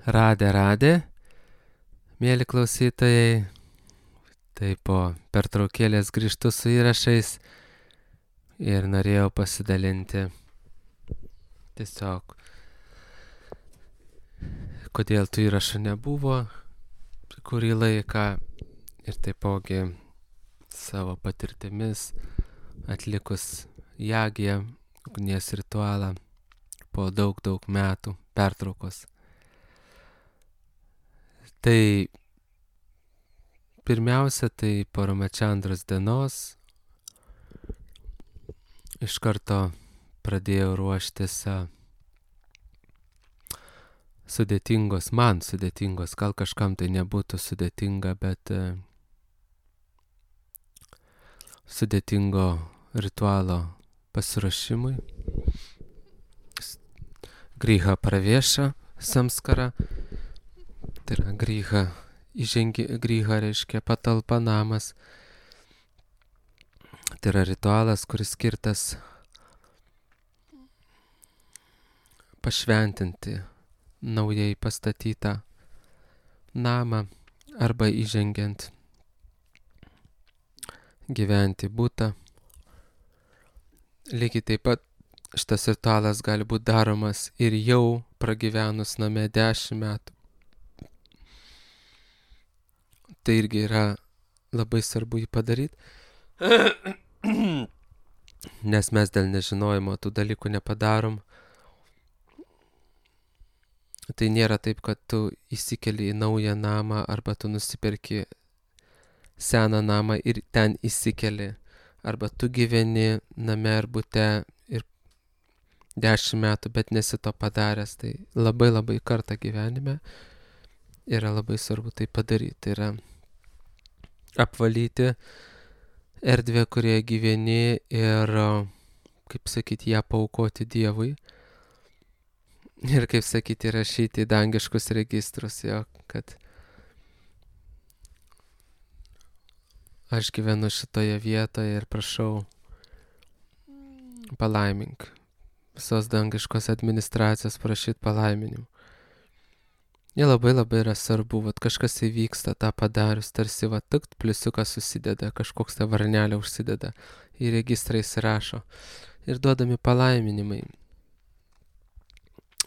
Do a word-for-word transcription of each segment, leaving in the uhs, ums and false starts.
Radė, radė, mėly klausytojai, tai po pertraukėlės grįžtu su įrašais ir norėjau pasidalinti tiesiog, kodėl tų įrašų nebuvo kurį laiką ir taipogi savo patirtimis atlikus jagiją, ugnies ritualą po daug, daug metų pertraukos. Tai pirmiausia, tai po Ramachandros dienos iš karto pradėjau ruoštis sudėtingos, man sudėtingos, gal kažkam tai nebūtų sudėtinga, bet sudėtingo ritualo pasiruošimui. Griha pravieša samskara, tai yra griha, įžengi, griha reiškia patalpa, namas. Tai yra ritualas, kuris skirtas pašventinti naujai pastatytą namą arba įžengiant gyventi butą. Lygiai taip pat šitas ritualas gali būti daromas ir jau pragyvenus name dešimt metų. Tai irgi yra labai svarbu jį padaryti, nes mes dėl nežinojimo tų dalykų nepadarom. Tai nėra taip, kad tu įsikeli į naują namą arba tu nusiperki seną namą ir ten įsikeli. Arba tu gyveni name ar bute ir dešimt metų, bet nesi to padaręs. Tai labai labai kartą gyvenime yra labai svarbu tai padaryti. Tai yra apvalyti erdvę, kurioje gyveni ir, kaip sakyti, ją paaukoti Dievui. Ir, kaip sakyti, rašyti į dangiškus registrus, jo, kad aš gyvenu šitoje vietoje ir prašau, palaimink. Visos dangiškos administracijos prašyti palaiminimų. Jie labai labai yra svarbu, vat kažkas įvyksta tą padarius, tarsi va tik pliusiukas susideda, kažkoks ta varnelė užsideda, į registrą įsirašo. Ir duodami palaiminimai.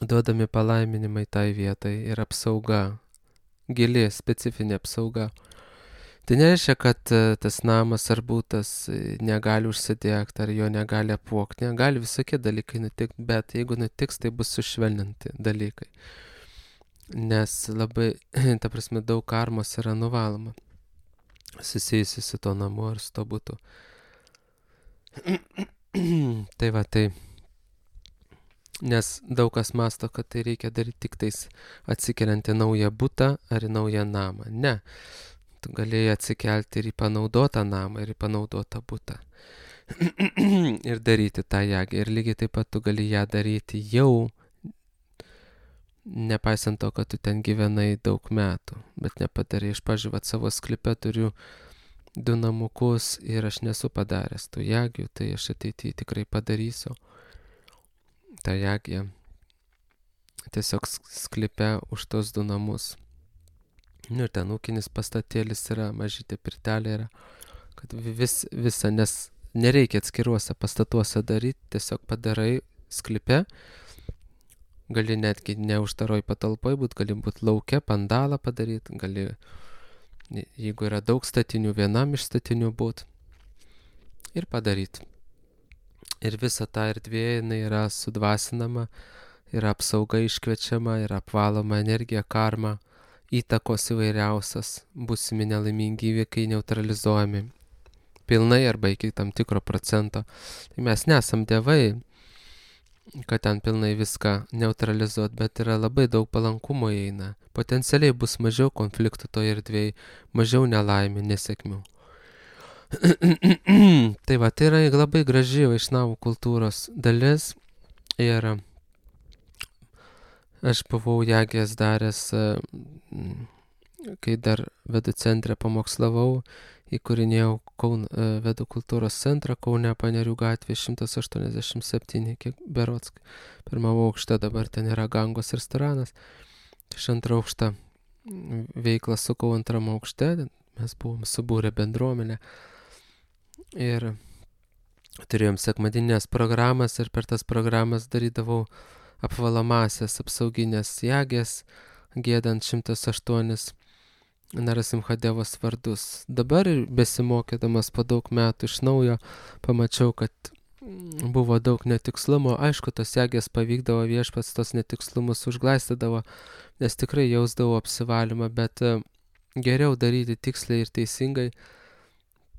Duodami palaiminimai tai vietai ir apsauga, gili, specifinė apsauga. Tai nereiškia, kad tas namas ar būtas negali užsidegti, ar jo negali apvogti, negali visokie dalykai nutikti, bet jeigu nutiks, tai bus sušvelninti dalykai. Nes labai, ta prasme, daug karmos yra nuvaloma, susijusi su to namu ar su to būtu. Tai va, tai. Nes daug kas masto, kad tai reikia daryti tik tais atsikeliant į naują butą ar į naują namą. Ne. Tu galėjai atsikelti ir į panaudotą namą, ir į panaudotą butą. Ir daryti tą jagą. Ir lygiai taip pat tu gali ją daryti jau, nepaisant to, kad tu ten gyvenai daug metų. Bet nepadarai. Aš, pavyzdžiui, vat savo sklype turiu du namukus ir aš nesu padaręs tų jagių, tai aš ateityje tikrai padarysiu tą jagį tiesiog sklype už tos du namus. Nu ir ten ūkinis pastatėlis yra, mažytė pirtelė yra, kad vis, visa, nes nereikia atskiruose pastatuose daryti, tiesiog padarai sklype, gali netgi ne uždaroj patalpoj būt, gali būt lauke, pandalą padaryti, gali, jeigu yra daug statinių, vienam iš statinių būt ir padaryti. Ir visa ta erdvė, jinai yra sudvasinama, yra apsauga iškviečiama, yra apvaloma energija, karma, įtakos įvairiausias, būsimi nelaimingi įvykiai neutralizuojami pilnai arba iki tam tikro procento. Tai mes nesam dievai, kad ten pilnai viską neutralizuot, bet yra labai daug palankumo įeina. Potencialiai bus mažiau konfliktų toje erdvėje, mažiau nelaimių, nesėkmių. Tai va, tai yra labai graži vaišnavų kultūros dalis ir aš buvau jagės daręs, kai dar Vedų centre pamokslavau, įkūrinėjau Kaun, Vedų kultūros centrą Kaune, Panerių gatvė šimtas aštuoniasdešimt septyni, kiek berods, pirmame aukšte dabar ten yra Gangos restoranas. iš antro aukštą veiklą sukau antram aukšte, mes buvom subūrę bendruomenę ir turėjom sekmadinės programas ir per tas programas darydavau apvalomasias apsauginės jagės, giedant šimtas aštuonis Narasimhadevos vardus. Dabar besimokydamas po daug metų iš naujo pamačiau, kad buvo daug netikslumo. Aišku, tos jagės pavykdavo, viešpats tos netikslumus užglaistydavo, nes tikrai jausdavau apsivalymą, bet geriau daryti tiksliai ir teisingai.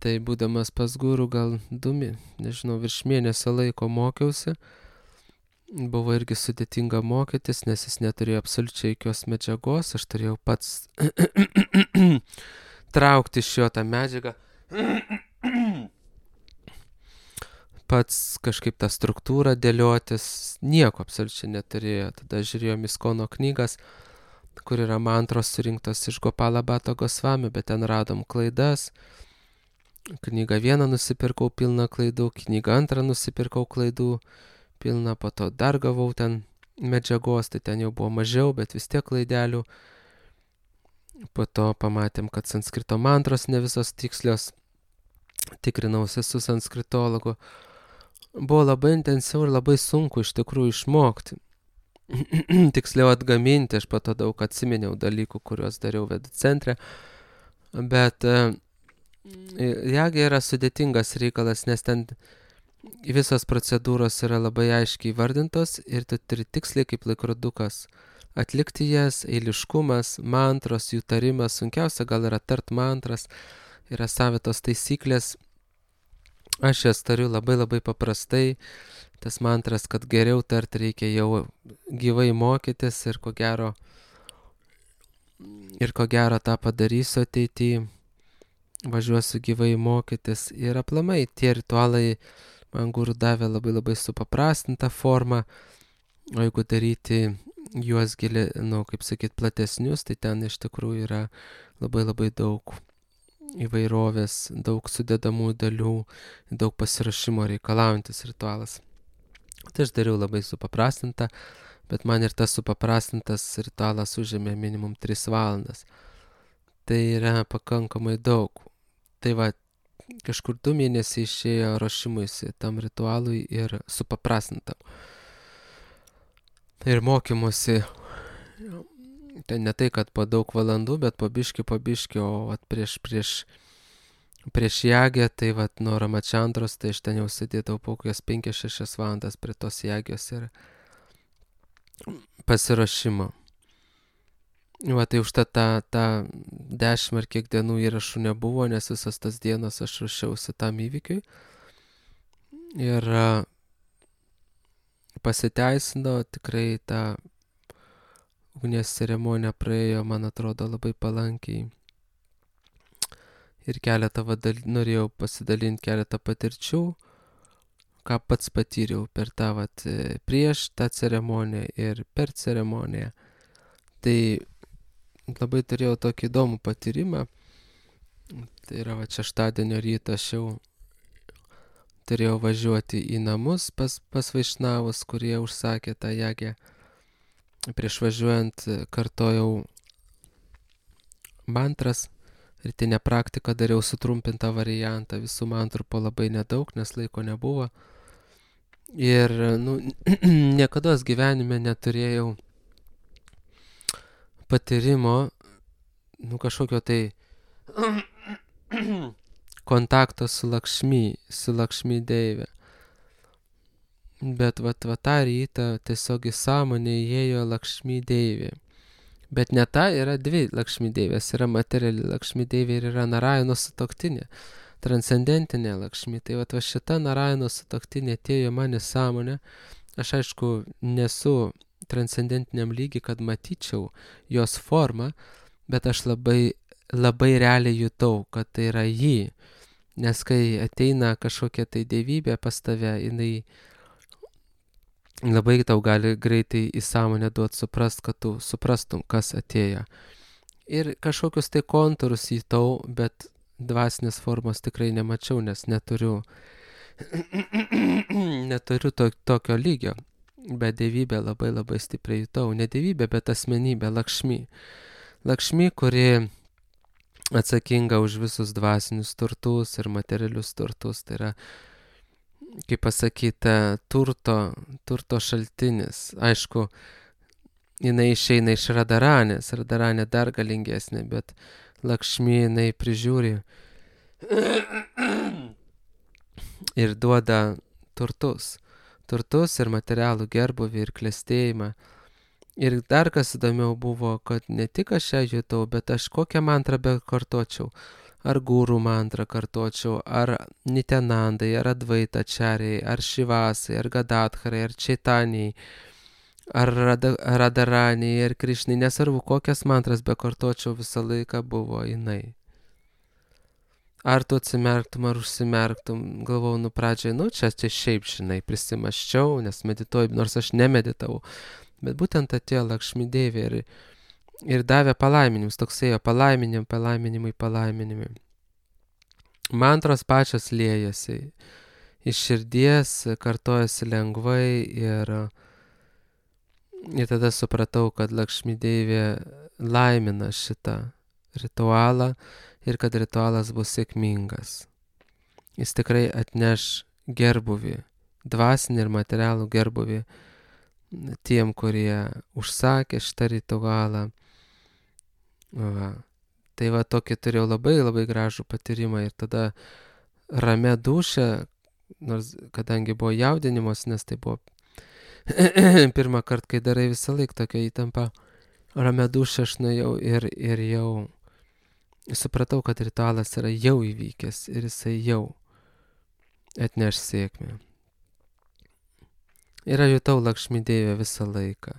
Tai būdamas pas gurų gal du, nežinau, virš mėnesio laiko mokiausi. Buvo irgi sudėtinga mokytis, nes jis neturėjo absoliučiai jokios medžiagos. Aš turėjau pats traukti iš jo tą medžiagą. Pats kažkaip tą struktūrą dėliotis. Nieko absoliučiai neturėjo. Tada žiūrėjom Iskono knygas, kur yra mantros surinktos iš Gopala Bhatta Gosvami, bet ten radom klaidas. Knygą vieną nusipirkau pilną klaidų, knygą antrą nusipirkau klaidų pilną, po to dar gavau ten medžiagos, tai ten jau buvo mažiau, bet vis tiek klaidelių. Po to pamatėm, kad sanskrito mantros ne visos tikslios, tikrinausi su sanskritologu. Buvo labai intensyvu ir labai sunku iš tikrųjų išmokti. Tiksliau atgaminti, aš po to daug atsiminiau dalykų, kuriuos dariau vedų centre, bet jagė yra sudėtingas reikalas, nes ten visos procedūros yra labai aiškiai vardintos ir tu turi tiksliai kaip laikrodukas atlikti jas, eiliškumas, mantros, jų tarimas, sunkiausia gal yra tart mantras, yra savitos taisyklės. Aš jas tariu labai labai paprastai, tas mantras, kad geriau tart reikia jau gyvai mokytis ir ko gero, ir ko gero tą padarysiu ateityje, važiuosiu gyvai mokytis ir aplamai tie ritualai man guru davė labai labai supaprastintą formą, o jeigu daryti juos gili, nu, kaip sakyt, platesnius, tai ten iš tikrųjų yra labai labai daug įvairovės, daug sudedamų dalių, daug pasirašymo reikalaujantis ritualas. Tai aš dariau labai supaprastintą, bet man ir tas supaprastintas ritualas užėmė minimum tris valandas. Tai yra pakankamai daug. Tai va, kažkur du mėnesiai išėjo ruošimuisi tam ritualui ir supaprastintam. Ir mokymusi, tai ne tai, kad po daug valandų, bet po biškį, po biškį, o vat, prieš, prieš, prieš jagę, tai vat, nuo Ramačandros, tai aš ten jau sėdėdavau po kokias penkias šešias valandas prie tos jagios ir pasiruošimo. Va, tai užtat tą, tą dešimt ar kiek dienų įrašų nebuvo, nes visas tas dienas aš ruošiausi tam įvykiui. Ir pasiteisino, tikrai tą ugnies ceremonija praėjo, man atrodo, labai palankiai. Ir keletą vadal... norėjau pasidalinti keletą patirčių, ką pats patyriau per tą vat, prieš tą ceremoniją ir per ceremoniją. Tai labai turėjau tokį įdomų patyrimą. Tai yra va, šeštadienio rytą aš jau turėjau važiuoti į namus pas, pas vaišnavus, kurie užsakė tą jagę. Prieš važiuojant kartojau mantras, rytinę praktiką dariau sutrumpintą variantą, visų mantrų po labai nedaug, nes laiko nebuvo. Ir nu, niekados gyvenime neturėjau patyrimo, nu kažkokio tai kontakto su Lakšmi, su Lakšmi deivė. Bet vat, vat tą rytą tiesiog į sąmonę įėjo Lakšmi deivė. Bet ne ta, yra dvi Lakšmi deivės, yra materiali Lakšmi deivė ir yra Narayano sutuoktinė, transcendentinė Lakšmi. Tai vat va šita Narayano sutuoktinė atėjo man į sąmonę. Aš aišku nesu transcendentiniam lygiai, kad matyčiau jos formą, bet aš labai, labai realiai jutau, kad tai yra ji. Nes kai ateina kažkokia tai dievybė pas tave, jinai labai tau gali greitai į sąmonę duoti suprast, kad tu suprastum, kas atėjo. Ir kažkokius tai kontūrus jutau, bet dvasinės formos tikrai nemačiau, nes neturiu, neturiu to, tokio lygio. bet dievybę labai labai stipriai jutau. Ne dievybę, bet asmenybę, Lakšmi. Lakšmi, kuri atsakinga už visus dvasinius turtus ir materialius turtus. Tai yra, kaip pasakyta, turto, turto šaltinis. Aišku, jinai išeina iš Radaranės. Radaranė dar galingesnė, bet Lakšmi jinai prižiūri ir duoda turtus. Turtus ir materialų gerbuvį ir klestėjimą. Ir dar kas įdomiau buvo, kad ne tik aš ją jutau, bet aš kokią mantrą bekartočiau. Ar gurų mantrą kartočiau, ar Nityanandai, ar Advaita Čariai, ar Šivasai, ar Gadatharai, ar Čaitanijai, ar Radaraniai, ar Krišnai, nesvarbu, kokias mantras bekartočiau, visą laiką buvo jinai. Ar tu atsimerktum, ar užsimerktum, galvojau, nu pradžiai, nu čia, čia šiaip, žinai, prisimaščiau, nes medituoju, nors aš nemeditavau. Bet būtent atėjo Lakšmi Deivė ir, ir davė palaiminimus, toksai jo palaiminimai, palaiminimai, palaiminimai. Mantros pačios liejasi, iš širdies kartojasi lengvai ir, ir tada supratau, kad Lakšmi Deivė laimina šitą ritualą ir kad ritualas bus sėkmingas. Jis tikrai atneš gerbuvį, dvasinį ir materialų gerbuvį tiem, kurie užsakė šitą ritualą. Va. Tai va tokį turėjau labai labai gražų patyrimą ir tada ramia dūšia, nors kadangi buvo jaudinimas, nes tai buvo pirmą kartą, kai darai visą laiką tokia įtampa, ramia dūšia aš nuėjau ir, ir jau supratau, kad ritualas yra jau įvykęs ir jisai jau atneš sėkmę. Ir aš jutau Lakšmi Deivę visą laiką.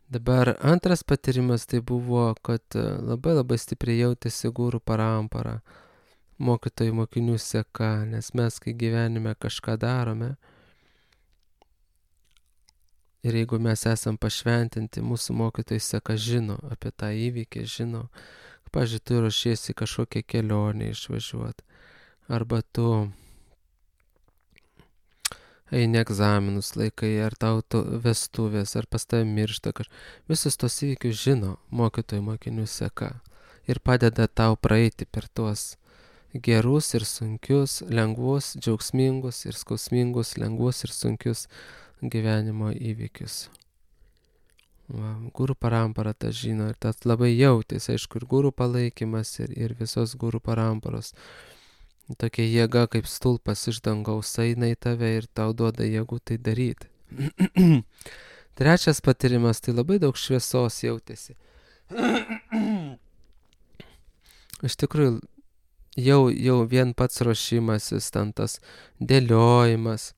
Dabar antras patyrimas tai buvo, kad labai labai stipriai jautėsi gurų parampara, mokytojų mokinių seka, nes mes, kai gyvenime kažką darome, ir jeigu mes esam pašventinti, mūsų mokytojai seka žino apie tą įvykį, žino, pavyzdžiui, tu ruošiesi kažkokią kelionę išvažiuoti, arba tu eini egzaminus laikai, ar tau vestuvės, ar pas tave miršta kažkas. Visus tos įvykius žino mokytojų mokinių seka ir padeda tau praeiti per tuos gerus ir sunkius, lengvus, džiaugsmingus ir skausmingus, lengvus ir sunkius gyvenimo įvykius. Va, gurų parampara tą žino ir tas labai jautėsi, aišku, ir gurų palaikymas ir, ir visos gurų paramparos. Tokia jėga kaip stulpas iš dangaus eina į tave ir tau duoda jėgų tai daryti. Trečias patyrimas, tai labai daug šviesos jautėsi. Iš tikrųjų, jau, jau vien pats ruošimasis, ten tas dėliojimas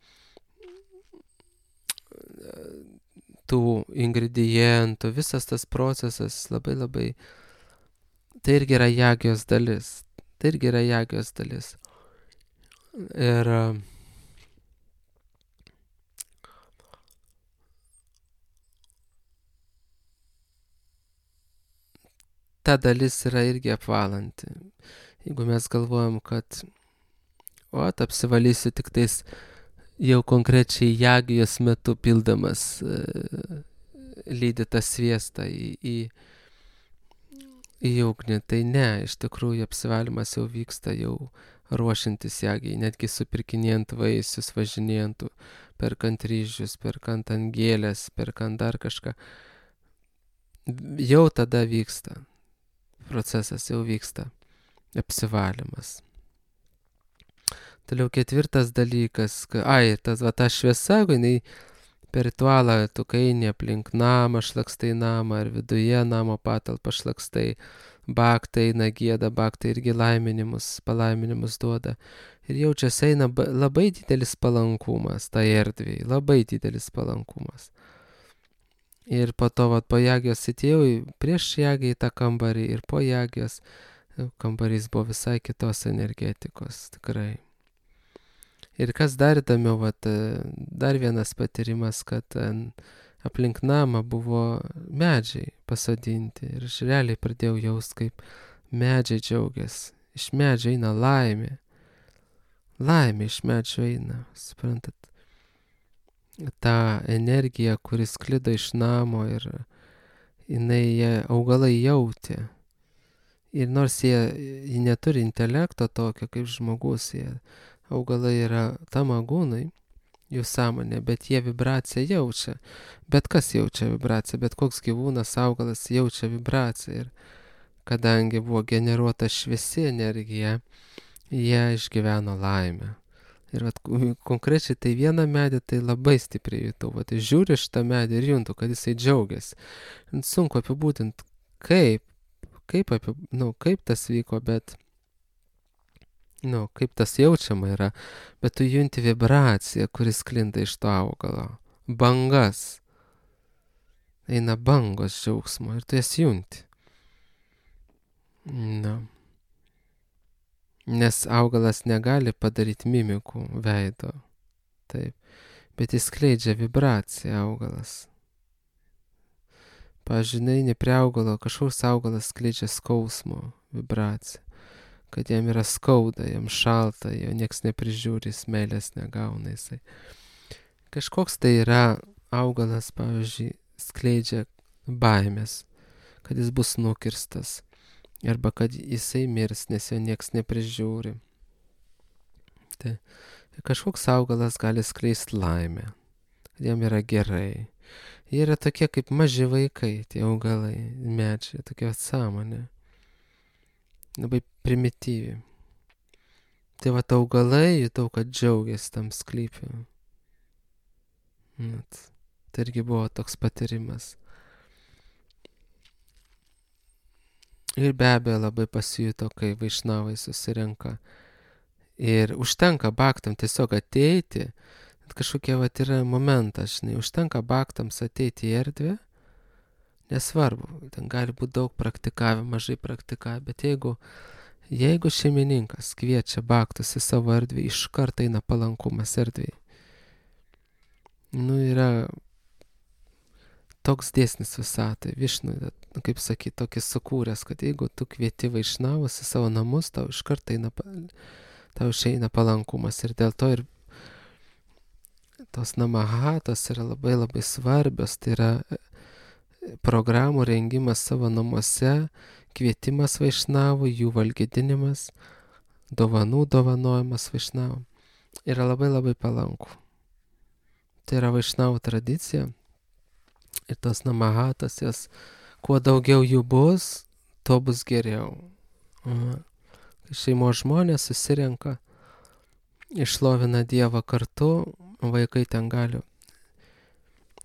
tų ingredientų, visas tas procesas labai labai, tai irgi yra jagijos dalis. Tai irgi yra jagijos dalis. Ir ta dalis yra irgi apvalanti. Jeigu mes galvojam, kad o, apsivalysiu tik tais jau konkrečiai jagijos metu pildamas e, lydytą sviestą į, į į ugnį, tai ne, iš tikrųjų apsivalymas jau vyksta jau ruošiantis jagijai, netgi supirkinėjant vaisius, važinėjant, perkant ryžius, perkant ant gėlės, perkant dar kažką. Jau tada vyksta, procesas jau vyksta, apsivalymas. Toliau ketvirtas dalykas, ka, ai, tas va ta šviesa, jinai per ritualą tu eini aplink namą, šlakstai namą, ar viduje namo patalpą šlakstai, baktai eina gieda, baktai irgi laiminimus, palaiminimus duoda. Ir jaučiasi eina labai didelis palankumas tai erdvėj, labai didelis palankumas. Ir po to, vat, po jagijos atėjau prieš jagiją į tą kambarį ir po jagijos kambarys buvo visai kitos energetikos, tikrai. Ir kas dar įdomiau, vat, dar vienas patyrimas, kad aplink namą buvo medžiai pasodinti. Ir aš realiai pradėjau jaust, kaip medžiai džiaugiasi. Iš medžio eina laimė. Laimė iš medžio eina, suprantat. tą energiją, kuris sklido iš namo ir jinai, jie, augalai jautė. Ir nors jie, jie neturi intelekto tokio kaip žmogus, jie, augalai yra tamagūnai, jų sąmonė, bet jie vibraciją jaučia. Bet kas jaučia vibraciją, bet koks gyvūnas, augalas jaučia vibraciją. Ir kadangi buvo generuota šviesi energija, jie išgyveno laimę. Ir vat, konkrečiai tai vieną medį tai labai stipriai jutau. Vat, žiūri šitą medį ir juntu, kad jisai džiaugiasi. Sunku apibūdinti, kaip, kaip, apie, nu, kaip tas vyko, bet, nu, kaip tas jaučiama yra. Bet tu junti vibraciją, kuris sklinda iš to augalo. Bangas. Eina bangos džiaugsmo ir tu jas junti. Nu. Nes augalas negali padaryti mimikų veido. Taip. Bet jis skleidžia vibraciją augalas. Pavyzdžiui, eini prie augalo, kažkoks augalas skleidžia skausmo vibraciją. Kad jam yra skauda, jam šalta, jo nieks neprižiūri, jis meilės negauna jisai. Kažkoks tai yra augalas, pavyzdžiui, skleidžia baimės, kad jis bus nukirstas. Arba kad jisai mirs, nes jo nieks neprižiūri. Tai kažkoks augalas gali skleisti laimę, kad jam yra gerai. Jie yra tokie kaip maži vaikai, tie augalai, medžiai, tokia sąmonė. Labai primityvi. Tai va, augalai, jutau, kad džiaugiasi tam sklype. Tai irgi buvo toks patyrimas. Ir be abejo labai pasijuto, kai vaišnavai susirenka. Ir užtenka baktam tiesiog ateiti. Kažkokie vat yra momentas, žinai, užtenka baktams ateiti į erdvę. Nesvarbu, ten gali būti daug praktikavę, mažai praktikavę, bet jeigu, jeigu šeimininkas kviečia baktus į savo erdvę, iš karto eina palankumas erdvėje. Nu, yra toks dėsnis visatai, Višnu, kaip sakyti, tokį sukūręs, kad jeigu tu kvieti vaišnavus į savo namus, tau iš karto eina, tau išeina palankumas. Ir dėl to ir tos namahatos yra labai labai svarbios, tai yra programų rengimas savo namuose, kvietimas vaišnavų, jų valgydinimas, dovanų dovanojimas vaišnavų yra labai labai palanku. Tai yra vaišnavų tradicija. Ir tos namahatos, jas, kuo daugiau jų bus, tuo bus geriau. Kai šeimos žmonės susirenka, išlovina Dievą kartu, vaikai ten gali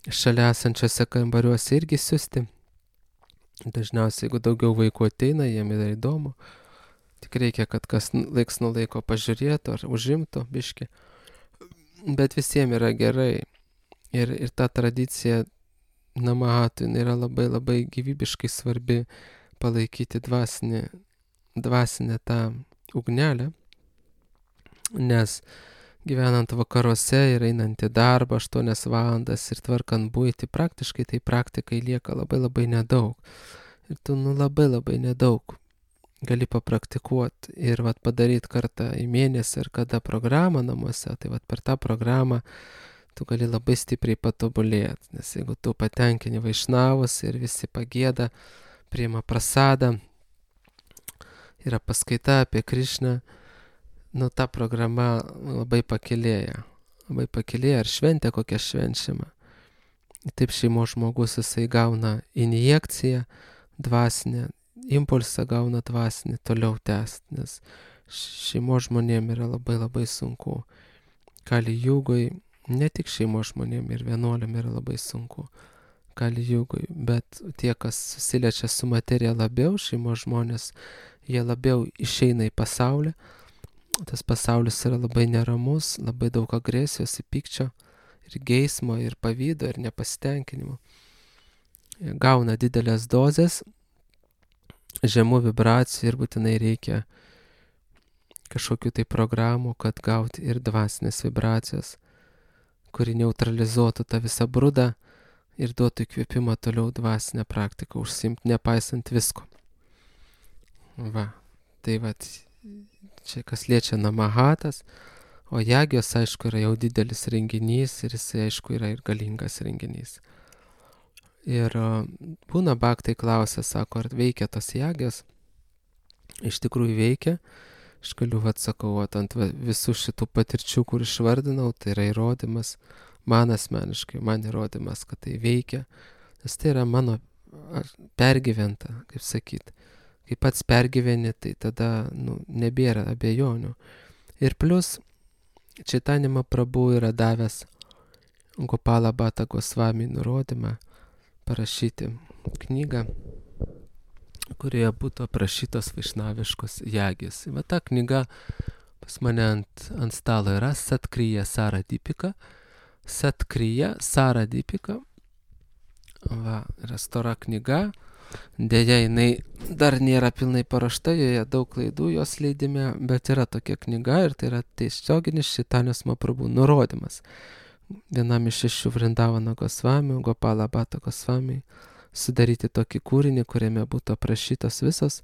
šalia esančiose kambariuose irgi siusti. Dažniausiai, jeigu daugiau vaikų ateina, jiem yra įdomu. Tik reikia, kad kas laiks nuo laiko pažiūrėtų ar užimtų biškį. Bet visiems yra gerai. Ir, ir ta tradicija namahatų yra labai labai gyvybiškai svarbi palaikyti dvasinę, dvasinę tą ugnelę, nes gyvenant vakaruose ir einant į darbą aštuonias valandas ir tvarkant buitį, praktiškai tai praktikai lieka labai labai nedaug. Ir tu nu labai labai nedaug gali papraktikuoti ir vat padaryti kartą į mėnesį ar kada programą namuose, tai vat per tą programą tu gali labai stipriai patobulėti, nes jeigu tu patenkini vaišnavus ir visi pagėda, priima prasadą, yra paskaita apie Krišną, nu ta programa labai pakilėja, labai pakilėja, ar šventė kokia švenčiama. Taip šeimos žmogus jisai gauna injekciją dvasinę, impulsą gauna dvasinį toliau tęsti, nes šeimos žmonėm yra labai labai sunku. Kali jugoj, ne tik šeimos žmonėm ir vienuoliam yra labai sunku Kali jugoj, bet tie, kas susiliečia su materija labiau, šeimos žmonės, jie labiau išeina į pasaulį. Tas pasaulis yra labai neramus, labai daug agresijos, pykčio ir geismo, ir pavydo, ir nepasitenkinimo. Jie gauna didelės dozes, žemų vibracijų ir būtinai reikia kažkokių tai programų, kad gauti ir dvasinės vibracijos, kuri neutralizuotų tą visą brudą ir duotų įkvėpimą toliau dvasinę praktiką užsiimti, nepaisant visko. Va, tai va, čia kas liečia namahatas, O jagijos, aišku, yra jau didelis renginys ir jis, aišku, yra ir galingas renginys. Ir būna baktai klausia, sako, ar veikia tos jagijos? Iš tikrųjų veikia. Aš galiu, vat, sakau, vat, ant visų šitų patirčių, kur išvardinau, tai yra įrodymas, man asmeniškai, man įrodymas, kad tai veikia, nes tai yra mano pergyventa, kaip sakyt. Kai pats pergyveni, tai tada nu, nebėra abejonių. Ir plus, Chaitanya Mahaprabhu yra davęs Gopala Bhatta Gosvami nurodymą parašyti knygą, kurioje būtų aprašytos vaišnaviškos jagės. Va ta knyga pas mane ant, ant stalo yra Satkriya Saradipika. Satkriya Saradipika. Va, yra stora knyga. Deja, jinai dar nėra pilnai parašta, joje daug klaidų jos leidime, bet yra tokia knyga ir tai yra tiesioginis Chaitanyos Mahaprabhu nurodymas. Vienam iš šešių Vrindavano Gosvamių, Gopala Bhatta Gosvami, sudaryti tokį kūrinį, kuriame būtų aprašytos visos,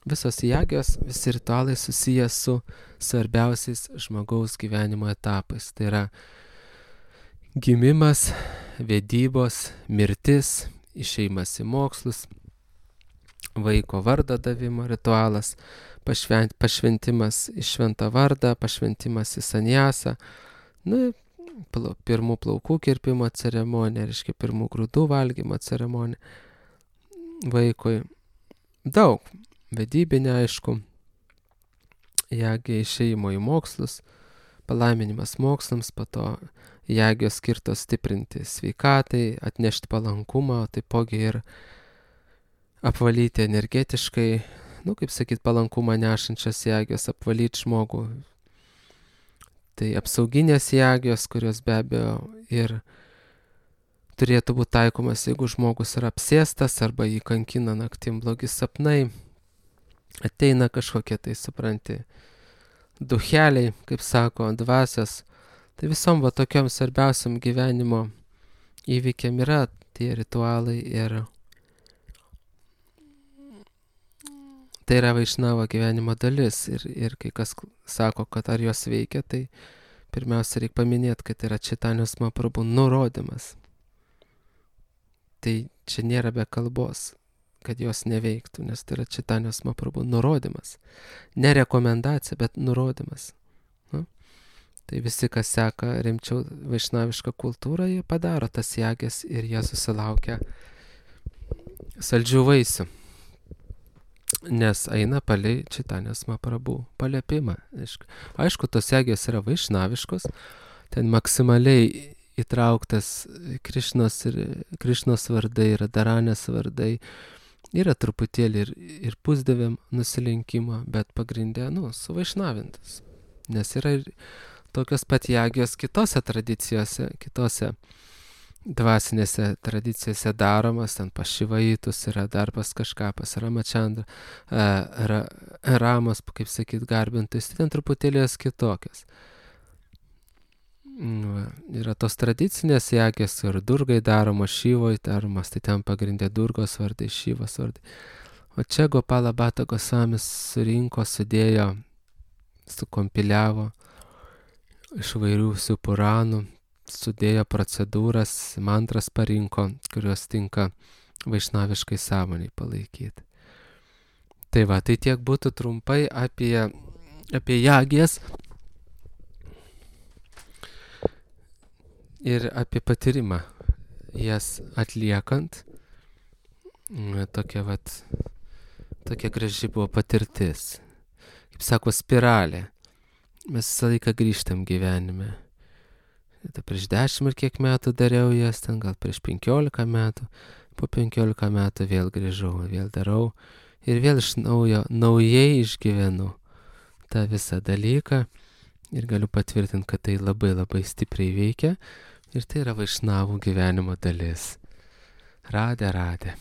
visos jagijos, visi ritualai susiję su svarbiausiais žmogaus gyvenimo etapais. Tai yra gimimas, vedybos, mirtis, išėjimas į mokslus, vaiko vardo davimo ritualas, pašvent, pašventimas į šventą vardą, pašventimas į sanjasą, nu, pirmų plaukų kirpimo ceremonija, reiškia pirmų grūdų valgymo ceremonija vaikui. Daug. Vedybinė, aišku, jagė išėjimo į mokslus, palaiminimas mokslams, po to jagės skirtos stiprinti sveikatai, atnešti palankumą, taipogi ir apvalyti energetiškai, nu, kaip sakyt, palankumą nešančias jagės, apvalyti žmogų. Tai apsauginės jagijos, kurios be abejo ir turėtų būti taikomas, jeigu žmogus yra apsėstas arba jį kankina naktim blogi sapnai, ateina kažkokie tai, supranti, ducheliai, kaip sako, dvasios. Tai visom va tokiom svarbiausiam gyvenimo įvykiam yra tie ritualai ir tai yra vaišnavo gyvenimo dalis ir, ir kai kas sako, kad ar jos veikia, tai pirmiausia reikia paminėti, kad yra Chaitanyos Mahaprabhu nurodymas. Tai čia nėra be kalbos, kad jos neveiktų, nes tai yra Chaitanyos Mahaprabhu nurodymas. Ne rekomendacija, bet nurodymas. Nu? Tai visi, kas seka rimčiau vaišnavišką kultūrą, jie padaro tas jagės ir jie susilaukia saldžių vaisių. Nes eina palei Chaitanyos Mahaprabhu paliepimą. Aišku, tos jagės yra vaišnaviškos, ten maksimaliai įtrauktas Krišnos, ir, Krišnos vardai, yra Daranės vardai, yra truputėlį ir, ir pusdieviam nusilenkimo, bet pagrindė, nu, suvaišnavintas. Nes yra ir tokios pat jagės kitose tradicijose, kitose dvasinėse tradicijose daromas, ten pas Šivaitus yra dar pas kažką, pas Ramachandra, ra, Ramos, kaip sakyt, garbintus, ten truputėlį jos kitokios. Va, yra tos tradicinės jagės ir Durgai daromos, Šivoj daromos, tai ten pagrindė Durgos vardai, Šivos vardai. O čia Gopala Bhatta Gosvamis surinko, sudėjo, sukompiliavo iš vairių puranų, sudėjo procedūras, mantras parinko, kurios tinka vaišnaviškai sąmoniai palaikyti. Tai va, tai tiek būtų trumpai apie, apie jagės ir apie patyrimą jas atliekant. Tokia vat, tokia graži buvo patirtis. Kaip sako, spiralė. Mes visą laiką grįžtam gyvenime. Tai prieš dešimt ar kiek metų dariau jas, ten gal prieš penkiolika metų, po penkiolika metų vėl grįžau, vėl darau ir vėl iš naujo, naujai išgyvenu tą visą dalyką ir galiu patvirtinti, kad tai labai labai stipriai veikia ir tai yra vaišnavų gyvenimo dalis. Radė, radė.